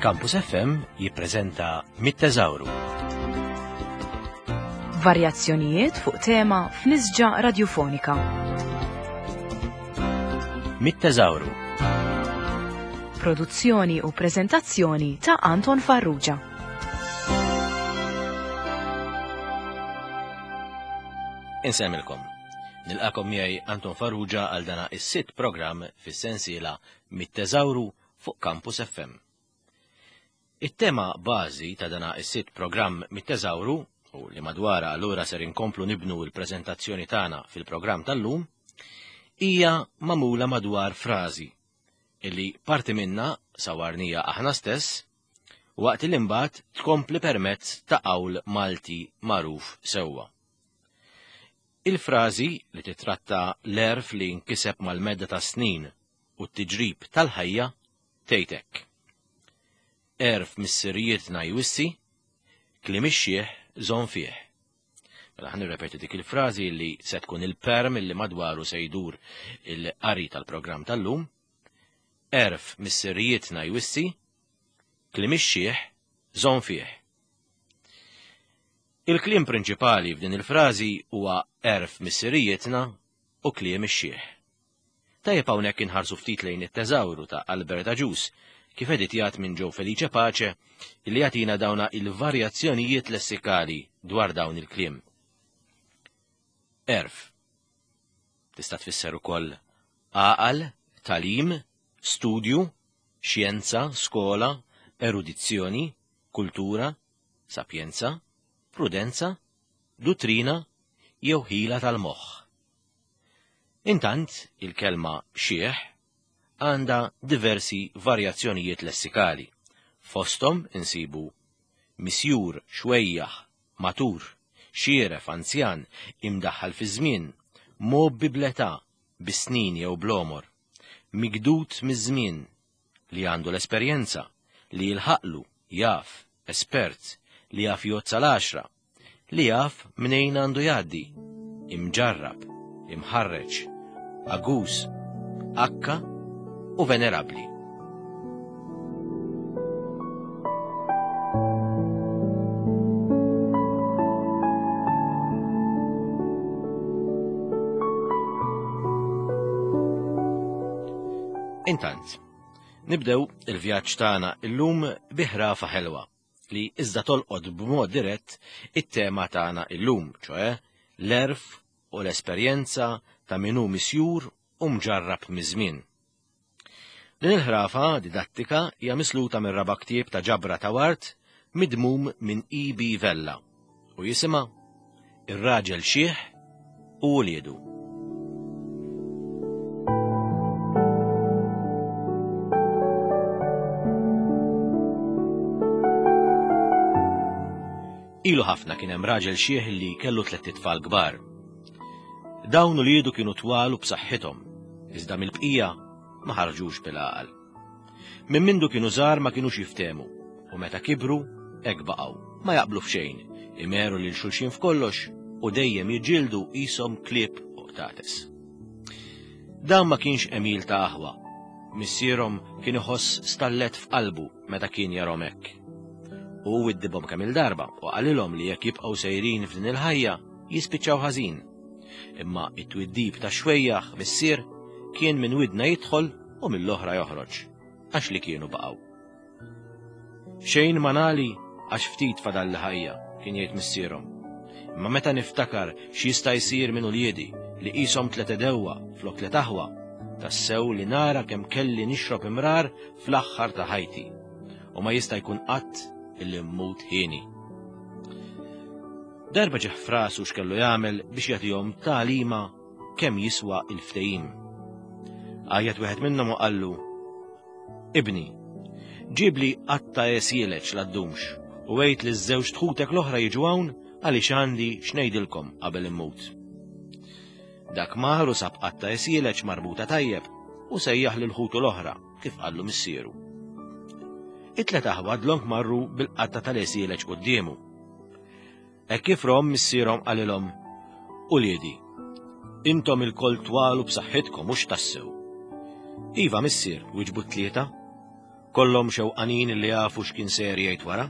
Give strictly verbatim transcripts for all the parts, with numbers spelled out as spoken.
Campus F M jippreżenta Mit-Teżawru. Varjazzjonijiet fuq tema f'nisġa radjufonika. Mit-Teżawru. Produzzjoni u preżentazzjoni ta' Anton Farrugia. Insemmilkom. Nilqakom miegħi Anton Farrugia għal dana is-sitt programm fis-sensiela Mit-Teżawru fuq Campus F M. It-tema bażi ta' dana is-sitt programm Mit-Teżawru u li madwara allura ser inkomplu nibnu l-preżentazzjoni tagħna fil-programm tal-lum hija magħmula madwar frażi illi parti minna sawarnija aħna stess waqt li mbagħad tkompli permezz ta' qawl Malti magħruf sewwa. Il-frażi li titratta l-għerf li nkiseb mal-medda ta' snin u t-tiġrib tal-ħajja tgħidlek. Għerf missirijietna jwissi, kliem ix-xiħ żomm fih. Mela ħa nirrepeti dik il-frażi li se tkun il-perm li madwaru se jdur il-qari tal-programm tal-lum. Għerf missirijietna jwissi, kliem ix-xiħ żomm fih. Il-kliem prinċipali f'din il-frażi huwa għerf missirijietna u kliem ix-xiħ. Tajjeb hawnhekk inħarsu ftit lejn it-teżawru ta' Albert Agius kif editjat minn Joe Felice Pace li jagħtina dawna il-varjazzjonijiet lessikali dwar dawn il-kliem. Għerf. Tista' tfisser ukoll għaqal, tagħlim, studju, xjenza, skola, erudizzjoni, kultura, sapjenza, prudenza, duttrina jew ħila tal-moħħ. Intant, il-kelma xiħ għandha diversi varjazzjonijiet lessikali. Fostom insibu misjur, xwejjaħ, matur, xieref, anzjan, imdaħħal fi żmien, mgħobbi bl-età, bis-snin jew bl-għomor, migdud miż-żmien, li għandu l-esperjenza, li jilħaqlu, jaf, espert, li jaf jgħodd sal-għaxra, li jaf mnejn għandu jgħaddi, imġarrab, imħarreġ, aguż, akka u venerabli. Intant, nibdew il-vjaġġ tagħna illum bi ħrafa ħelwa li iżda tolqod b'mod dirett it-tema tagħna illum, ċoè l-għerf u l-esperjenza ta' min hu misjur u mġarrab miż-żmien. Din il-ħrafa didattika hija misluta minn raba' ktieb ta' ġabra ta' wart midmum minn E. B. Vella u jisimha Ir-raġel xiħ u wliedu. Ilu ħafna kien hemm raġel xiħ li kellu tliet itfal kbar. Dawn uliedu kienu twal u b'saħħithom, iżda mill-bqija ma ħarġux bil-għaqal. Minn mindu kienu żgħar ma kinux jiftehmu, u meta kibru hekk baqgħu, ma jaqblu f'xejn, imeru lil xulxin f'kollox u dejjem jiġġieldu qishom klieb u qtates. Dan ma kienx għemil ta' aħwa. Missierhom kien iħoss stallet f'qalbu meta kien jarhom hekk. U widdibhom kemm il-darba u qalilhom li jekk jibqgħu sejrin f'din il-ħajja jispiċċaw ħażin. Imma it-twiddib ta' xwejjaħ missier kien minn widna jidħol u mill-oħra joħroġ, għax li kienu baqgħu. Xejn ma nali għax ftit fadal ħajja, kien jgħid missierhom. Imma meta niftakar x'jista' jsir minn uliedi li qishom tliet għedewwa flok tliet aħwa, tassew li nara kemm kelli nixrob imrar fl-aħħar ta' ħajti. U ma jista' jkun qatt illi mmut hieni. Darba ġieħ f'rasu x'kellu jagħmel biex jagħtihom tagħlima kemm jiswa il-ftehim. Għajjat wieħed minnhom u qallu: Ibni, ġibli qatta għesieleġ la ddumx u għid li ż-żewġ ħutek l-oħra jiġu hawn għaliex għandi x'ngħidilkom qabel immut. Dak mar u sab qatta għesieleġ marbuta tajjeb u sejjaħ lil ħutu l-oħra kif qallu missieru. It-tlet aħwa dlonk marru bil-qatta tal-għesieleġ quddiemu. Hekk kif rom missierhom qalilhom: Uliedi, intom ilkoll twal u b'saħħitkom mhux tassew. Iva missier, wieġbu t-tlieta. Kollhom xewqanin li jafu x'kien ser jgħid wara.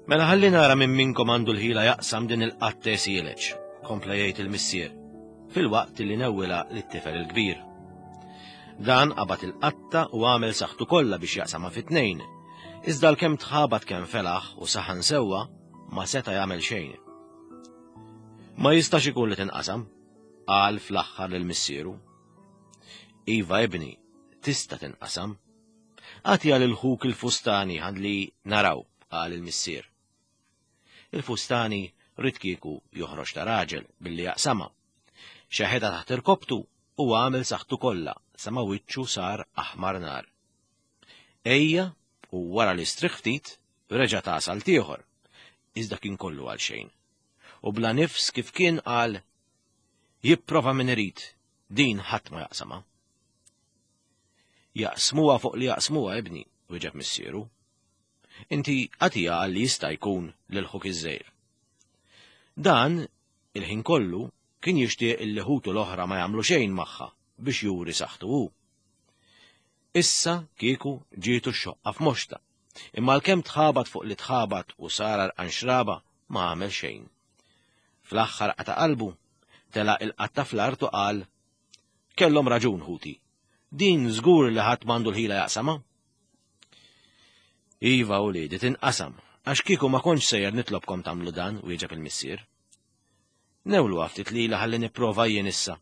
Mela ħalli nara minn minkom għandu l-ħila jaqsam din il-qatta sieleġ, kompla jgħid il-missier, filwaqt li newwilha lit-tifel il-kbir. Dan qabad il-qatta u għamel saħħtu kollha biex jaqsamha fi tnejn, iżda l-kemm tħabat kemm felaħ u saħan sewwa ma seta' jagħmel xejn. Ma jistax ikun li tinqasam, qal fl-aħħar lil missieru. Iva ibni, tista' tinqasam. Agħtiha lil ħuk il-fustani ħalli naraw, qal il-missier. Il-fustani ried kieku joħroġ ta' raġel billi jaqsamha. Xeħetha taħt irkoptu u għamel saħħtu kollha sa ma wiċċu sar aħmar nar. Ejja u wara li strieħ ftit reġa' ta salt ieħor, iżda kien kollu għal xejn. U bla nifs kif kien qal, jipprova min irid, din ħadd ma jaqsamha. Jaqsmuha fuq li jaqsmuha ibni, wieġeb missieru. Inti agħtiha għal li jista' jkun lil ħuk iż-żgħir. Dan il-ħin kollu kien jixtieq illi ħutu l-oħra ma jagħmlu xejn magħha biex juri saħħtu hu. Issa kieku ġietu x-xoqqa f'moxta, imma għalkemm tħabat fuq li tħabat u sar għarqan xraba ma għamel xejn. Fl-aħħar qata' qalbu, tela' il-qatta fl-art u qal, kellhom raġun ħuti, din żgur li ħadd m'għandu l-ħila jaqsamha. Iva uliedi tinqasam, għax kieku ma kontx sejjer nitlobkom tagħmlu dan, wieġeb il-missier. Newlu ftit lila ħalli nipprova jien issa.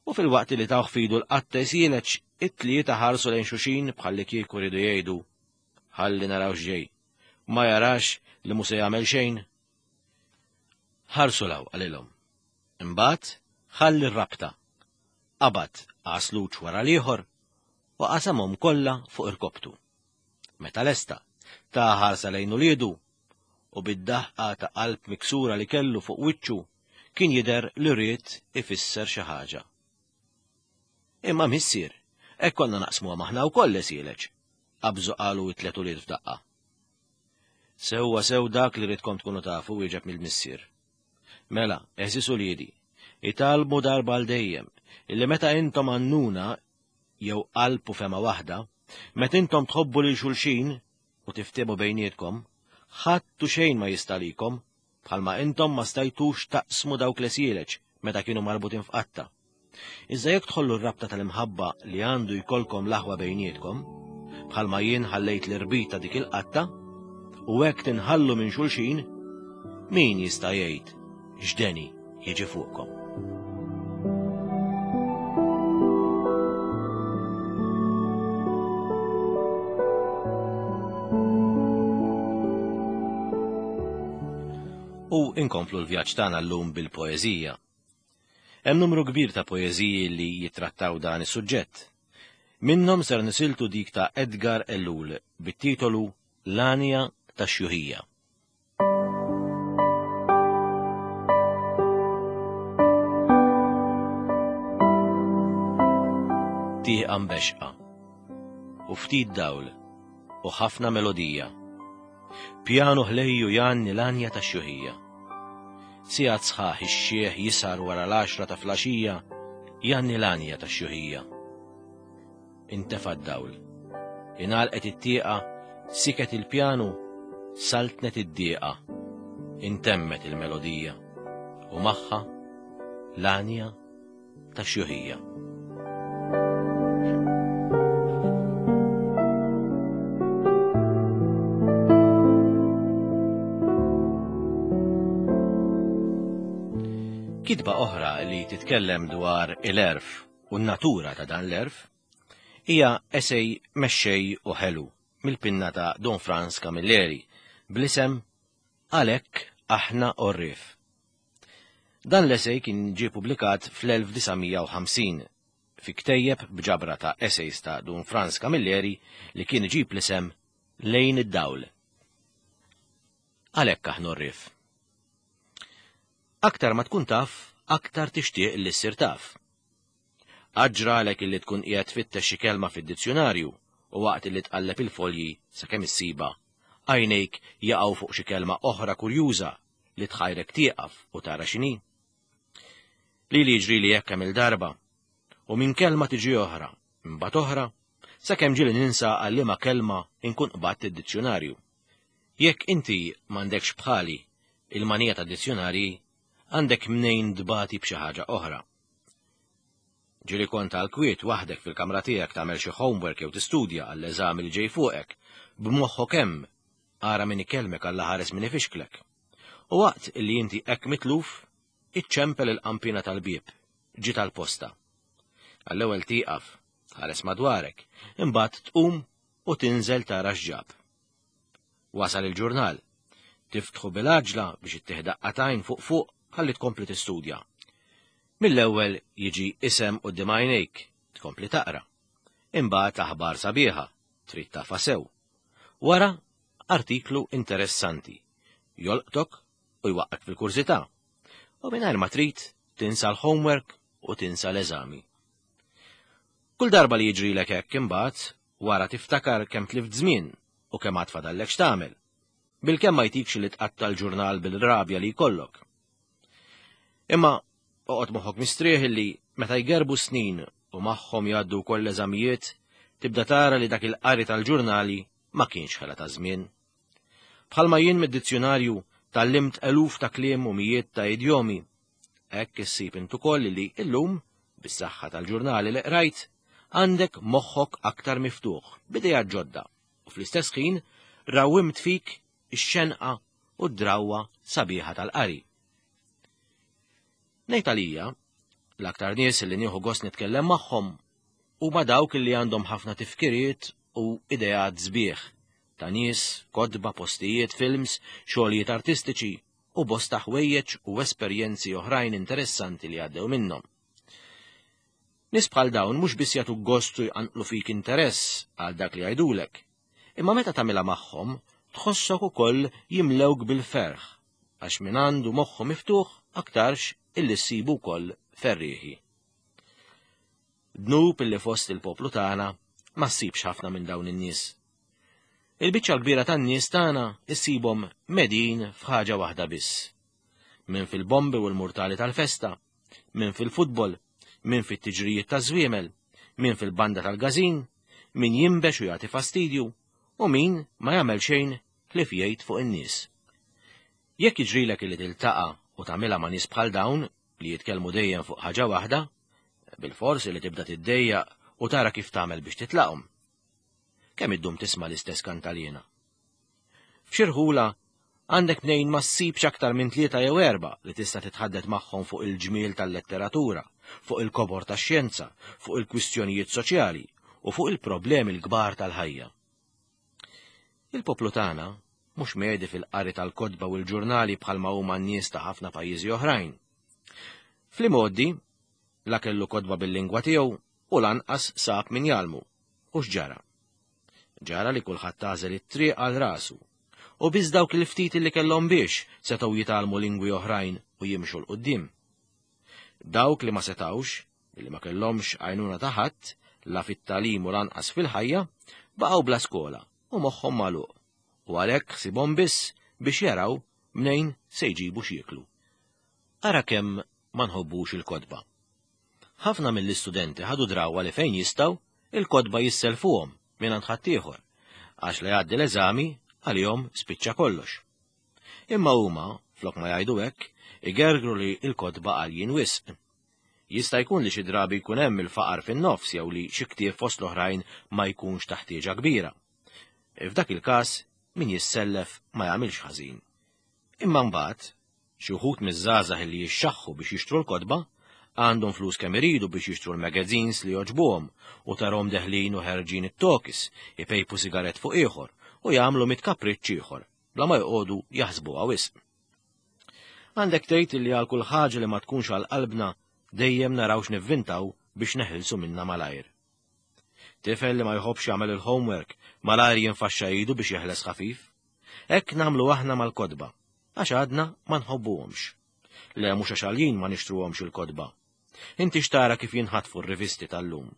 U fil-waqt li tawh fidu l-qatta jsieleġ, it-tlieta ħarsu lejn xulxin bħalli kieku riedu jgħidu, ħalli naraw x'ġej, ma jarax li mhu se jagħmel xejn. Ħarsu law qalilhom. Imbagħad ħalli r-rabta, qabad għasluċ wara l-ieħor u qasamhom kollha fuq irkoptu. Meta lesta, ta' ħarsa lejn uliedu u bid-daħqa ta' qalb miksura li kellu fuq wiċċu kien jidher li ried ifisser xi ħaġa. Imma missier, hekk konna naqsmuha maħna wkoll esieleġ, qabżu qalu t-tliet ulied f'daqqa. Sewwa sew dak li ridkom tkunu tafu, wieġeb mill-missier. Mela, għeżież uliedi, italmu darba għal dejjem, illi meta intom għannuna jew qalb u fema waħda, meta intom tħobbu lil xulxin u tiftehmu bejnietkom, ħadd u xejn ma jista' likom, bħalma intom ma stajtux taqsmu dawk l-esieleġ meta kienu marbutin f'qatta. Iżda jekk tħollu r-rabta tal-imħabba li għandu jkollkom l-aħwa bejnietkom, bħalma jien ħallejt l-irbita dik il-qatta, u hekk tinħallu minn xulxin, min jista' jgħid x'deni jiġi fuqkom. U inkomplu l-vjaġġ tagħna llum bil-poeżija. Hemm numru kbir ta' poeżiji li jittrattaw dan is-suġġett. Minnhom ser nisiltu dik ta' Edgar Ellul bit-titolu L-Għanja tax-Xjuħija. Tieqa mbexqa u ftit dawl u ħafna melodija. Pjanu ħlejju jgħanni l-għanja tax-xjuħija. Sigħat sħaħ ix-xieħ jisar wara l-għaxra ta' flaxija jgħanni l-għanja tax-xjuħija. Intefa' d-dawl, ingħalqet it-tieqa, siket il-pjanu, saltnet id-dieqa, intemmet il-melodija u magħha l-għanja tax-xjuħija. Kitba oħra li titkellem dwar il-għerf u n-natura ta' dan l-għerf hija esej mexxej u ħelu mill-pinna ta' Don Frans Camilleri bl-isem Għalhekk aħna għorrief. Dan l-esej kien ġie publikat fl-elf disa' mija u ħamsin fi ktejjeb b'ġabra ta' essays ta' Don Frans Camilleri li kien iġib l-isem Lejn id-Dawl. Għalhekk aħna għorrief. Aktar ma tkun taf, aktar tixtieq li ssir taf. Aġralek illi tkun qiegħed tfittex xi kelma fid-dizzjonarju u waqt illi tqalleb il-folji sakemm issiba, għajnejk jaqgħu fuq xi kelma oħra kurjuża li tħajrek tieqaf u tara x'inhi. Li li jiġri li hekk kemm il-darba, u minn kelma tiġi oħra, imbagħad oħra, Sakemm ġieli ninsa għal liema kelma inkun qbadt id-dizzjonarju. Jekk inti m'għandekx bħali il-manija ta' dizzjonarji, għandek mnejn tbati b'xi ħaġa oħra. Ġieli kont għal kwiet waħdek fil-kamra tiegħek tagħmel xi homework jew tistudja għall-eżami li ġej fuqek, b'moħħok hemm ara min ikellmek alla ħares min ifixklek. U waqt illi inti hekk mitluf, iċċempel il-qampina tal-bieb, ġi tal-posta. Għall-ewwel tieqaf, tħares madwarek, imbagħad tqum u tinżel tara x'ġab. Wasal il-ġurnal. Tiftħu bil-għaġla biex ittih daqqa t'għajn fuq fuq ħalli tkompli tistudja. Mill-ewwel jiġi isem quddiem għajnejk, tkompli taqra. Imbagħad aħbar sabiħa, trid tafha sew. Wara artiklu interessanti, jolqtok u jwaqqak fil-kurżità. U mingħajr ma trid tinsa l-homework u tinsa l-eżami. Kull darba li jiġrilek hekk imbagħad, wara tiftakar kemm tlift żmien u kemm għad fadallek x'tagħmel. Bilkemm ma jtikx li tqatta l-ġurnal bil-rabja li jkollok. Imma oqgħod moħħok mistrieħ li meta jgerbu snin u magħhom jgħaddu wkoll l-eżamijiet, tibda tara li dak il-qari tal-ġurnali ma kienx ħela ta' żmien. Bħalma jien mid-dizzjonarju tgħallimt eluf ta' kliem u mijiet ta' idjomi. Hekk issib int ukoll li illum, bis-saħħa tal-ġurnali li qrajt, għandek moħħok aktar miftuħ, b'idejat ġodda, u fl-istess ħin rawimt fik ix-xenqa u d-drawwa sabiħa tal-qari. Ngħid għalija, l-aktar nies li nieħu gost nitkellem magħhom huma dawk li għandhom ħafna tifkiriet u ideat sbieħ ta' nies, kotba, postijiet, films, xogħlijiet artistiċi u bosta ħwejjeġ u esperjenzi oħrajn interessanti li għaddew minnhom. Nies bħal dawn mhux biss jagħtu gost u jqanqlu fik interess għal dak li jgħidulek, imma meta tagħmilha magħhom tħossok ukoll jimlewk bil-ferħ, għax min għandu moħħu miftuħ aktarx illi ssibu wkoll ferrieħi. Dnub illi fost il-poplu tagħna ma ssibx ħafna minn dawn in-nies. Il-biċċa l-kbira tan-nies tagħna issibhom medin f'ħaġa waħda biss. Min fil-bombi u l-murtali tal-festa, min fil-futbol, min fit-tiġrijiet taż-żwiemel, min fil-banda tal-gażin, min jinbex u jagħti fastidju, u min ma jagħmel xejn ħlief jgħid fuq in-nies. Jekk jiġrilek li tiltaqa' u tagħmilha ma' nies bħal dawn li jitkellmu dejjem fuq ħaġa waħda, bilfors li tibda tiddejjaq u tara kif tagħmel biex titlaqhom. Kemm iddum tisma' l-istess kantalina? F'xi rħula għandek mnejn ma ssibx aktar minn tlieta jew erba' li tista' titħaddet magħhom fuq il-ġmiel tal-letteratura, fuq il-kobor tax-xjenza, fuq il-kwistjonijiet soċjali u fuq il-problemi l-kbar tal-ħajja. Il-poplu tagħna mhux medi fil-qari tal-kotba u l-ġurnali bħalma huma n-nies ta' ħafna pajjiżi oħrajn. Fl-imgħoddi, la kellu kotba bil-lingwa tiegħu u lanqas sab min jgħallmu. U x'ġara? Ġara li kulħadd għażel it-triq għal rasu, u biss dawk il-ftit li kellhom biex setgħu jitgħallmu lingwi oħrajn u jimxu 'l quddiem. Dawk li ma setgħux, li ma kellhomx għajnuna ta' ħadd, la fit-tagħlim u lanqas fil-ħajja, baqgħu bla skola u moħħhom magħluq, u għalhekk ħsibhom biss biex jaraw mnejn se jġibu x'jieklu. Ara kemm ma nħobbux il-kotba. Ħafna mill-istudenti ħadu drawwa li fejn jistgħu il-kotba jisselfuhom minn għand ħaddieħor, għax li jgħaddi l-eżami għalihom spiċċa kollox. Imma huma, flok ma jgħidu hekk, igergru li l-kotba għaljin wisq. Jista' jkun li xi drabi jkun hemm il-faqar fin-nofs jew li xi ktieb fost l-oħrajn ma jkunx ta' ħtieġa kbira. F'dak il-każ min jissellef ma jagħmilx ħażin. Imma mbagħad xi wħud miż-żgħażagħ li jixxaħħu biex jixtru l-kotba għandhom flus kemm iridu biex jixtru l-magazines li jogħġbuhom u tarhom deħlin u ħerġin it-tokis, ipejpu sigaret fuq ieħor u jagħmlu mit kapriċċ ieħor bla ma joqogħdu jaħsbuha wisq. Għandek tgħid li għal kull ħaġa li ma tkunx għal qalbna dejjem naraw x'nivvintaw biex neħilsu minna malajr. Tifel li ma jħobbx jagħmel il-homework malajr jinfaxxa idu biex jeħles ħafif. Hekk nagħmlu aħna mal-kotba, għax għadna ma nħobbuhomx. Le mhux għax għaljin ma nixtruhomx il-kotba. Inti xtara kif jinħatfu r-rivisti tal-lum.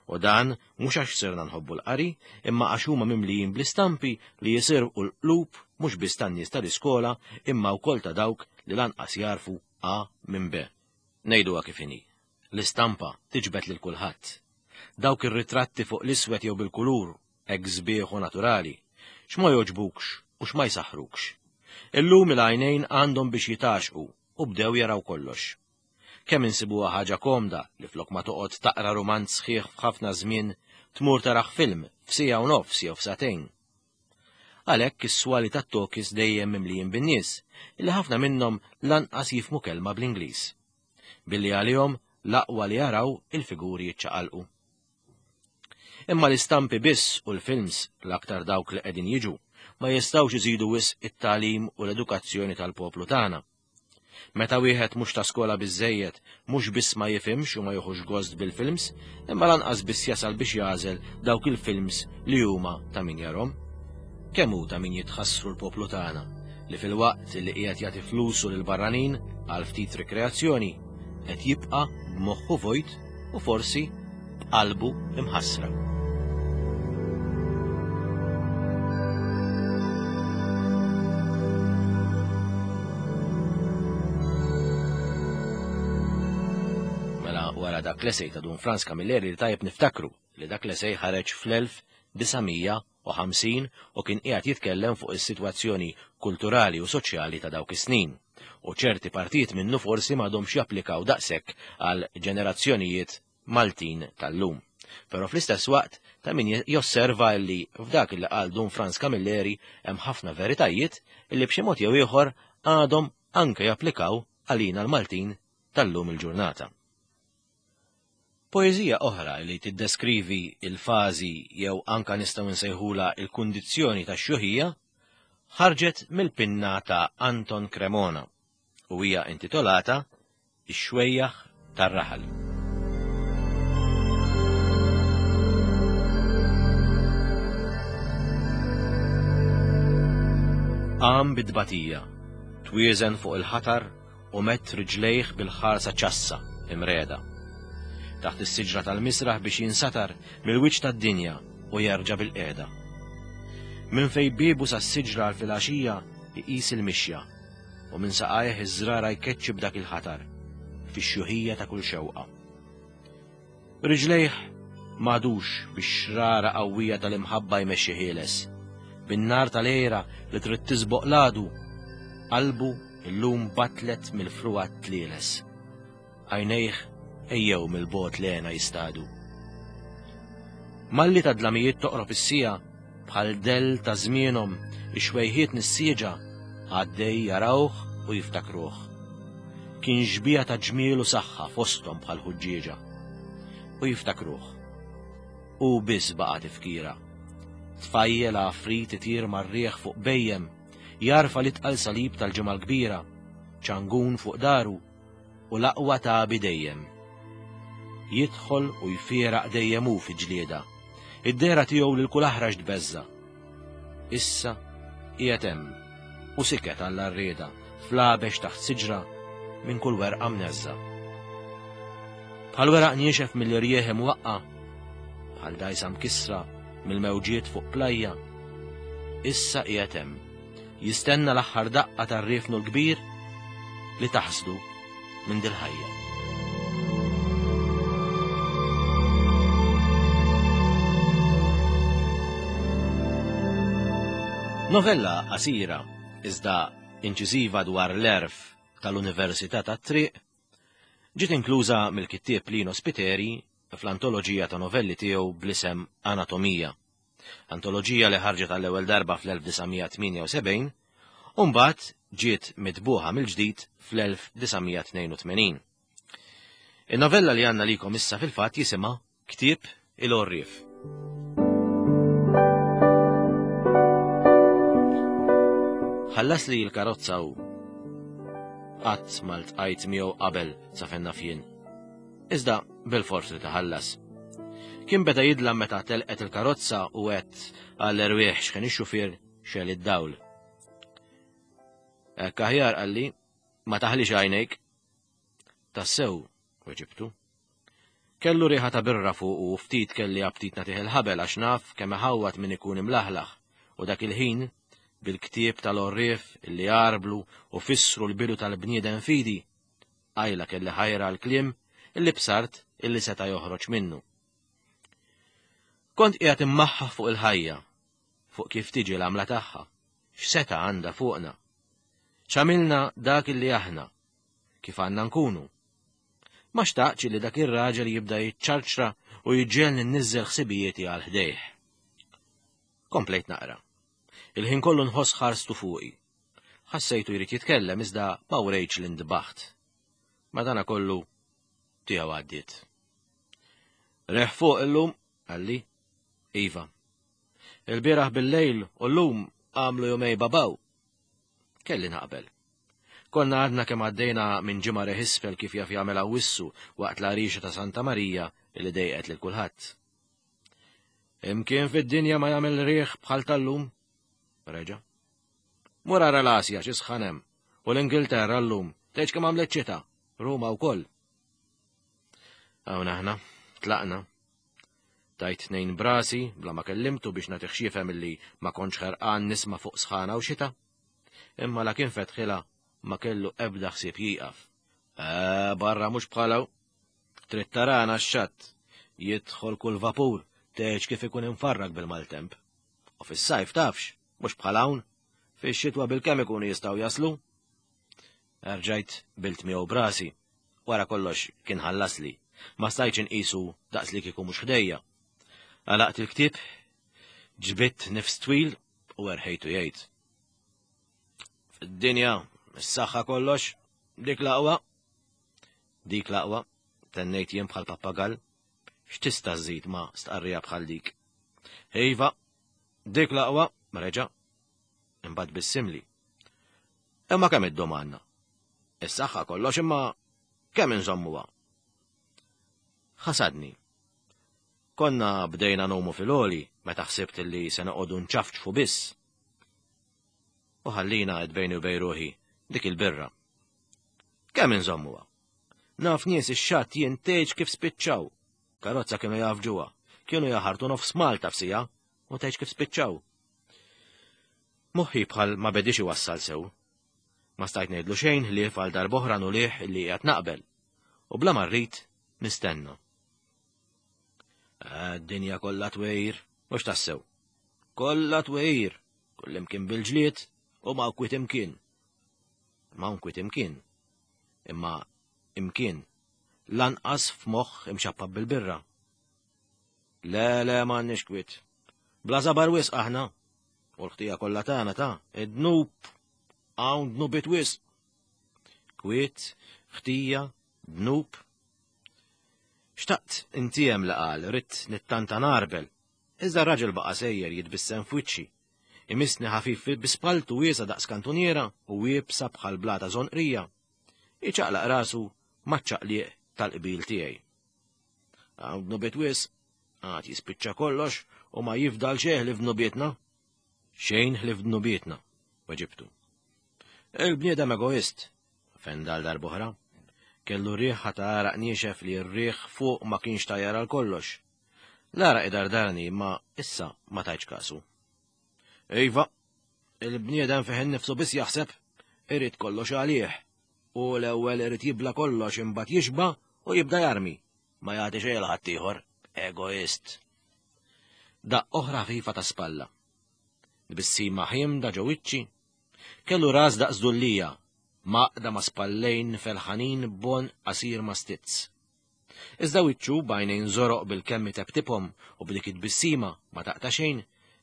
U dan mhux għax sirna nħobbu l-qari, imma għax huma mimlijin bl-istampi li jisirqu l-qlub mhux biss tan-nies tal-iskola imma wkoll ta' dawk li lanqas jarfu A minn B. Ngħiduha kif inhi. L-istampa tiġbed lil kulħadd. Dawk ir-ritratti fuq l-iswed jew bil-kulur, hekk sbieħ u naturali, x'ma jogħġbukx u x'ma jsaħħrukx. Illum il-għajnejn għandhom biex jitaxqu u bdew jaraw kollox. Kemm insibuha ħaġa komda li flok ma toqgħod taqra rumanz sħiħ f'ħafna żmien tmur taraħ film f'sija u nofs jew f'sagħtejn. Għalhekk is-swali tat-tokis dejjem mimlijin bin-nies illi ħafna minnhom lanqas jifhmu kelma bl-Ingliż. Billi għalihom l-aqwa li jaraw il-figuri jiċċaqalqu. Imma l-istampi biss u l-films l-aktar dawk li qegħdin jiġu ma jistgħux iżidu wisq it-tagħlim u l-edukazzjoni tal-poplu tagħna. Meta wieħed mhux ta' skola biżejjed, mhux biss ma jifhimx u ma jieħux gost bil-films, imma lanqas biss jasal biex jagħżel dawk il-films li huma ta' min jarhom. Kemm hu ta' min jitħassru l-poplu tagħna li fil-waqt li qiegħed jagħti flusu lil barranin għal ftit rikreazzjoni qed jibqa' b'moħħu vojt u forsi b'qalbu imħassra. Mela wara dak l-esej ta' Dun Frans Camilleri li tajjeb niftakru li dak l-esej ħareġ fl-elf disa' mija u ħamsin u kien qiegħed jitkellem fuq is-sitwazzjoni kulturali u soċjali ta' dawk is-snin. U ċerti partijiet minnu forsi m'għadhomx japplikaw daqshekk għal ġenerazzjonijiet Maltin tal-lum. Però fl-istess waqt ta' min josserva li f'dak li qal Dun Frans Camilleri hemm ħafna veritajiet li b'xi mod jew ieħor għadhom anke japplikaw għalina l-Maltin tal-lum il-ġurnata. Poeżija oħra li tiddeskrivi il-fażi jew anka nistgħu nsejħula il-kundizzjoni tax-xjuħija ħarġet mill-pinna ta' Anton Cremona u hija intitolata Ix-xwejjaħ tar-raħal. Qam bid-tbatija, twieżen fuq il-ħatar u mett riġlejh bil-ħarsa ċassa imreda. Taħt is-siġra tal-misraħ biex jinsatar mill-wiċċ tad-dinja u jerġa' bil-qiegħda. Minn fejn biebu sas-siġra għal filgħaxija iqis il-mixja u minn saqajh iż-żrara jkeċċi b'dak il-ħatar fix-xjuħija ta' kull xewqa. Riġlejh m'għadux bix-xrara qawwija tal-imħabba jmexxi ħieles, bin-nar tal-għira li trid tisboq l-għadu, qalbu illum batlet mill-frugħa tlieles. Għajnejh ejjew mill-bogħod lena jistadu. Malli ta' dlamijiet toqrob is-sija bħal del ta' żmienhom ix-xwejħiet nissieġa għaddej jarawh u jiftakruh. Kien xbija ta' ġmiel u saħħa fosthom bħal ħuġġieġa. U jiftakruh. U biss baqa' tifkira. Tfajjel għafrit itir mar-riħ fuq bejjem, jarfa l-itqal salib tal-ġimgħa l-kbira, ċangun fuq daru u l-aqwa tabi dejjem. Jidħol u jfieraq dejjem hu fi ġlieda. Id-dehra tiegħu lil kull aħrax tbeżża. Issa qiegħed hemm u siket għall-arrieda fl-għabex taħt siġra minn kull werqa mneżża. Bħal weraq niexef mill-irjieħ imwaqqa, bħal dajsa mkissra mill-mewġiet fuq plajja, issa qiegħed hemm jistenna l-aħħar daqqa tar-riefnu l-kbir li taħsdu minn dil-ħajja. Novella qasira iżda inċiżiva dwar l-erf tal-Università tat-Triq ġiet inkluża mill-kittieb Lino Spiteri fl-antoloġija ta' novelli tiegħu bl-isem Anatomija. Antoloġija li ħarġet għall-ewwel darba fl-elf disa' mija tmienja u sebgħin u mbagħad ġiet mitbuħa mill-ġdid fl-elf disa' mija tnejn u tmenin. In-novella li għandna likom issa fil-fatt jisimha Ktieb il-Għorrief. Ħallas li l-karozza u qatt ma ltqajt miegħu qabel sa fejn naf jien. Iżda bil-fors li taħallas. Kien beda jidlam meta telqet il-karozza u għedt għall-erwieħ x'kien ix-xufier xel id-dawl. Hekk aħjar qalli, ma taħlix għajnejk. Tassew, weġibtu. Kellu riħa ta' birra fuq u ftit kelli aptit nagħtih il-ħabel għax naf kemm iħawwat min ikun imlaħlaħ u dak il-ħin bil-ktieb tal-għorrief illi għarblu u fissru l-bidu tal-bniedem fidi, għajla kelli ħajra l-kliem illi bsart illi seta' joħroġ minnu. Kont qiegħed immaħħa fuq il-ħajja, fuq kif tiġi l-għamla tagħha, x'seta għandha fuqna. X'għamilna dak illi aħna, kif għandna nkunu. Ma xtaqtx li dak ir-raġel jibda jiċċarċra u jġegħelni nniżżel ħsibijieti għal ħdejh. Komplejt naqra. Il-ħin kollu nħoss ħarstu fuqi. Ħassejtu jrid jitkellem iżda ma wrejtx li ndbaħt. Madana kollu tiegħu għaddiet. Reħ fuq illum, qalli. Iva. Il-bieraħ bil-lejl u llum għamlu jumejn babaw. Kelli naqbel. Konna għadna kemm għaddejna minn ġimgħa reħ isfel kif jaf jagħmel Awwissu waqt l-għarixa ta' Santa Marija li dejqet lil kulħadd. Imkien fid-dinja ma jagħmel riħ bħal tal-lum. Reġa. Mur ara l-Asja xi sħan hemm u l-Ingilterra llum tgħidx kemm għamlet xita, Ruma wkoll. Hawn aħna, tlaqna. Tajt tnejn brasi bla ma kellimtu biex nagħtih x'jifhem illi ma kontx ħerqan nisma' fuq sħana u xita. Imma la kien fetħilha ma kellu ebda ħsieb jieqaf. Eh, barra mhux bħalaw. Trid tarana x-xatt. Jidħol kull vapur, tgħidx kif ikun imfarrak bil-maltemp. U fis-sajf tafx, mhux bħal hawn, fix-xitwa bil-kemm ikunu jistgħu jaslu. Erġajt bilt miegħu brasi. Wara kollox kien ħallasli. Ma stajtx inqisu daqs li kieku mhux ħdejja. Għalaqt il-ktieb, ġbidt nifs twil u erħejtu jgħid. Fid-dinja, is-saħħa kollox, dik l-aqwa. Dik l-aqwa, tennejt jien bħal pappagall. X'tista' żżid ma' stqarrija bħal dik? Iva, dik l-aqwa, reġa'. Imbagħad bissimli. Imma kemm iddum għandna? Is-saħħa kollox imma kemm inżommuha? Ħasadni. Konna bdejna nomu fil-għoli meta ħsibt li se noqogħdu nċafċfu biss. U ħallina qed bejni u bejn ruħi dik il-birra. Kemm inżommuha? Naf nies ix-xatt jien tgħidx kif spiċċaw. Karozza kienu jafġuha, kienu jaħartu nofs Malta f'sija u tgħidx kif spiċċaw. Moħħi bħal ma bedix iwassal sew. Ma stajt ngħidlu xejn ħlief għal darb'oħra nulih li qiegħed naqbel. U bla ma rrid nistenna. Id-dinja kollha twejr, mhux tassew. Kollha twejr, kullimkien bil-ġlied u ma kwiet imkien. Ma kwiet imkien. Imma imkien lanqas f'moħħ imxappab bil-birra. Le, le, m'għandniex kwiet. Bla żabar wisq aħna. U l-ħtija kollha tagħna ta' id-dnub hawn dnubiet wisq. Kwiet, ħtija, dnub. Xtaqt intiem li qal, ridt nittanta narbel. Iżda r-raġel baqa' sejjer jitbissem f'wiċċi. Imissni ħafif bi spalltu wiesgħa daqs kantuniera u iebsa bħal blata żonqrija. Iċaqlaq rasu maċ-ċaqliq tal-qbil tiegħi. Hawn dnubiet wisq, għad jispiċċa kollox u ma jifdal xejn li f'dnubietna. Xejn li f'dnubietna, weġibtu. Il-bniedem egoist, fendal darb'oħra. Kellu riħa ta' għaraq niexef li r-riħ fuq ma kienx tajjar għal kollox. L-għaraq idardarni imma issa ma tajtx kasu. Iva, il-bniedem fih innifsu biss jaħseb, irid kollox għalih. U l-ewwel irid jibla kollox imbagħad jixba' u jibda jarmi. Ma jagħti xejn 'l ħaddieħor, egoist. Daqq oħra ħafifa ta' spalla. Tbissima ħiemda ġo wiċċi. Kellu ras daqs dullija, maqda ma' spallejn felħanin bon qasir ma' stizz. Iżda wiċċu b'għajnejn żoroq bil-kemm itebtibhom u b'dik it-tbissima ma taqta' xejn,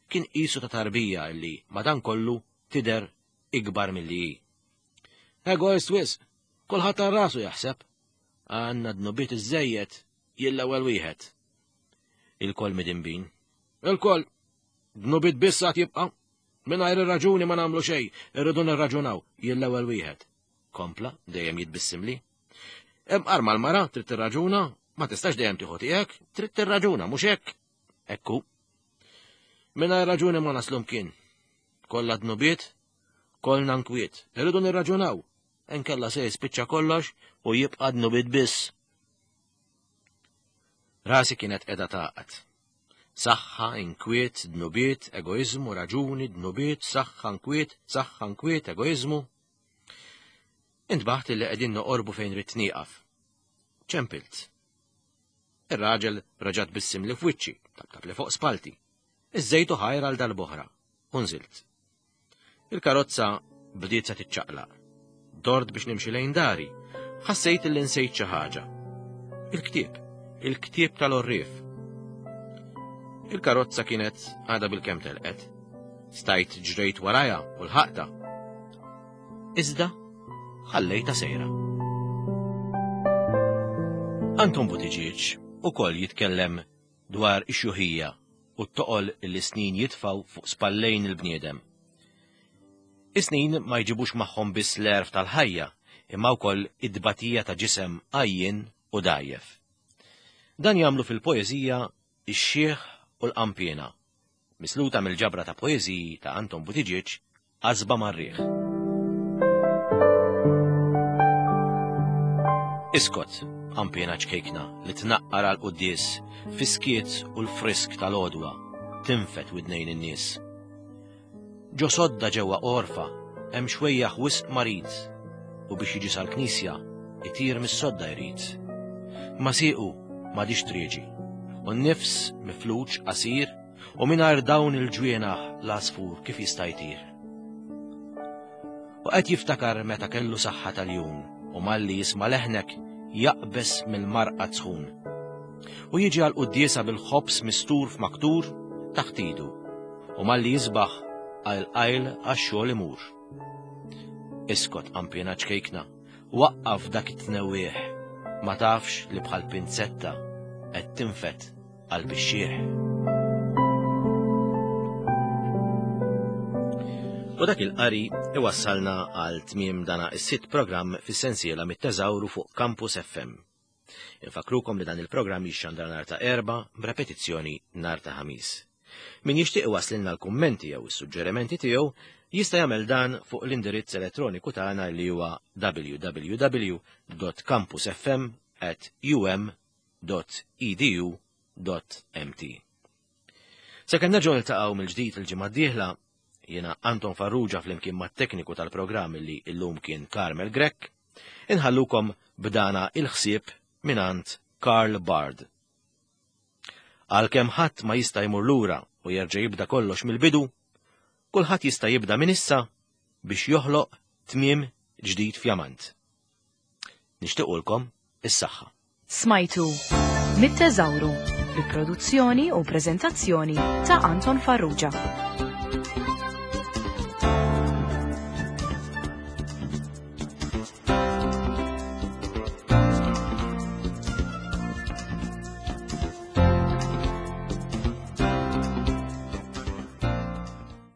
kien qisu ta' tarbija illi madankollu tidher ikbar milli hi. Egoist wisq, kulħadd għal rasu jaħseb. Għandna dnubiet iżżejjed, jien l-ewwel wieħed. Il-koll midinbin. Il-koll. Dnubiet biss għad jibqa'. Mingħajr ir-raġuni ma nagħmlu xejn, irridu nirraġunaw, jien l-ewwel wieħed. Kompla, dejjem jitbissimli. Imqar mal-mara trid tirraġuna, ma tistax dejjem tieħu tiegħek, trid tirraġuna, mhux hekk. Ekku. Mingħajr raġuni ma naslu mkien. Kollha dnubiet, kollna nkwiet, irridu nirraġunaw. Inkella se jispiċċa kollox u jibqa' dnubiet biss. Rasi kienet qiegħda tagħqad. Saħħa, inkwiet, dnubiet, egoiżmu, raġuni, dnubiet, saħħa, inkwiet, saħħa, inkwiet, egoiżmu. Intbaħt li qegħdin noqorbu fejn ridt nieqaf. Ċempilt. Ir-raġel reġa' tbissimli f'wiċċi, tabtab li fuq spalti. Iżżejtu ħajr għal dal-boħra, u nżilt. Il-karozza bdiet se tiċċaqlaq. Dort biex nimxi lejn dari, ħassejt li nsejt xi ħaġa. Il-ktieb, il-ktieb tal-għorrief. Il-karozza kienet għadha bil-kemm telqet. Stajt ġrejt warajha u lħaqtha. Iżda ħallejtha sejra. Anton Buttigieg ukoll jitkellem dwar ix-xjuħija u t-toqol li snin jitfaw fuq spallejn il-bniedem. Is-snin ma jġibux magħhom biss l-għerf tal-ħajja, imma wkoll id-dbatija ta' ġisem għajjien u dgħajjef. Dan jagħmlu fil-poeżija Ix-Xiħ u l-Qampiena, misluta mill-ġabra ta' poeżiji ta' Anton Buttigieg, Qasba mar-Riħ. Iskot, qampiena ċkejkna li tnaqqar għal quddies, fiskiet u l-frisk tal-għodwa, tinfet widnejn in-nies. Ġo sodda ġewwa għorfa, hemm xwejjaħ wisq marid, u biex jiġi sal-knisja, itir mis-sodda jrid. Ma siequ m'għadix trieġi, u n-nifs mifluġ qasir, u mingħajr dawn il-ġwienaħ l-għasfur kif jista' jtir. U qed jiftakar meta kellu saħħa tal-jum, u malli jisma' leħnek jaqbes mill-marqad sħun. U jiġi għal quddiesa bil-ħobż mistur f'maktur taħt idu, u malli jisbaħ għal qajl għax-xogħol imur. Iskot qampiena ċkejkna, waqqaf dak it-tnewwieħ, ma tafx li bħal pinzetta qed tinfet qalb ix-xiħ. U dak il-qari iwassalna għal tmiem dana is-sitt programm fis-sensiela mit-teżawru fuq Campus F M. Infakrukom li dan il-programm jixxandar nhar ta' Erbgħa b'repetizzjoni nhar ta' Ħamis. Min jixtieq iwasslilna l-kummenti jew is-suġġerimenti tiegħu jista' jagħmel dan fuq l-indirizz elettroniku tagħna li huwa w w w dot campus f m at u m dot e d u dot m t. Sakemm nerġgħu niltaqgħu mill-ġdid il-ġimgħa d-dieħla, jiena Anton Farrugia flimkien mat-tekniku tal-programm li llum kien Carmel Grech, inħallukom b'dana il-ħsieb mingħand Karl Barth. Għalkemm ħadd ma jista' jmur lura u jerġa' jibda kollox mill-bidu, kulħadd jista' jibda minn issa biex joħloq tmiem ġdid fjamant. Nixtiequlkom is-saħħa. Smajtu mit-teżawru bi produzzjoni u preżentazzjoni ta' Anton Farrugia.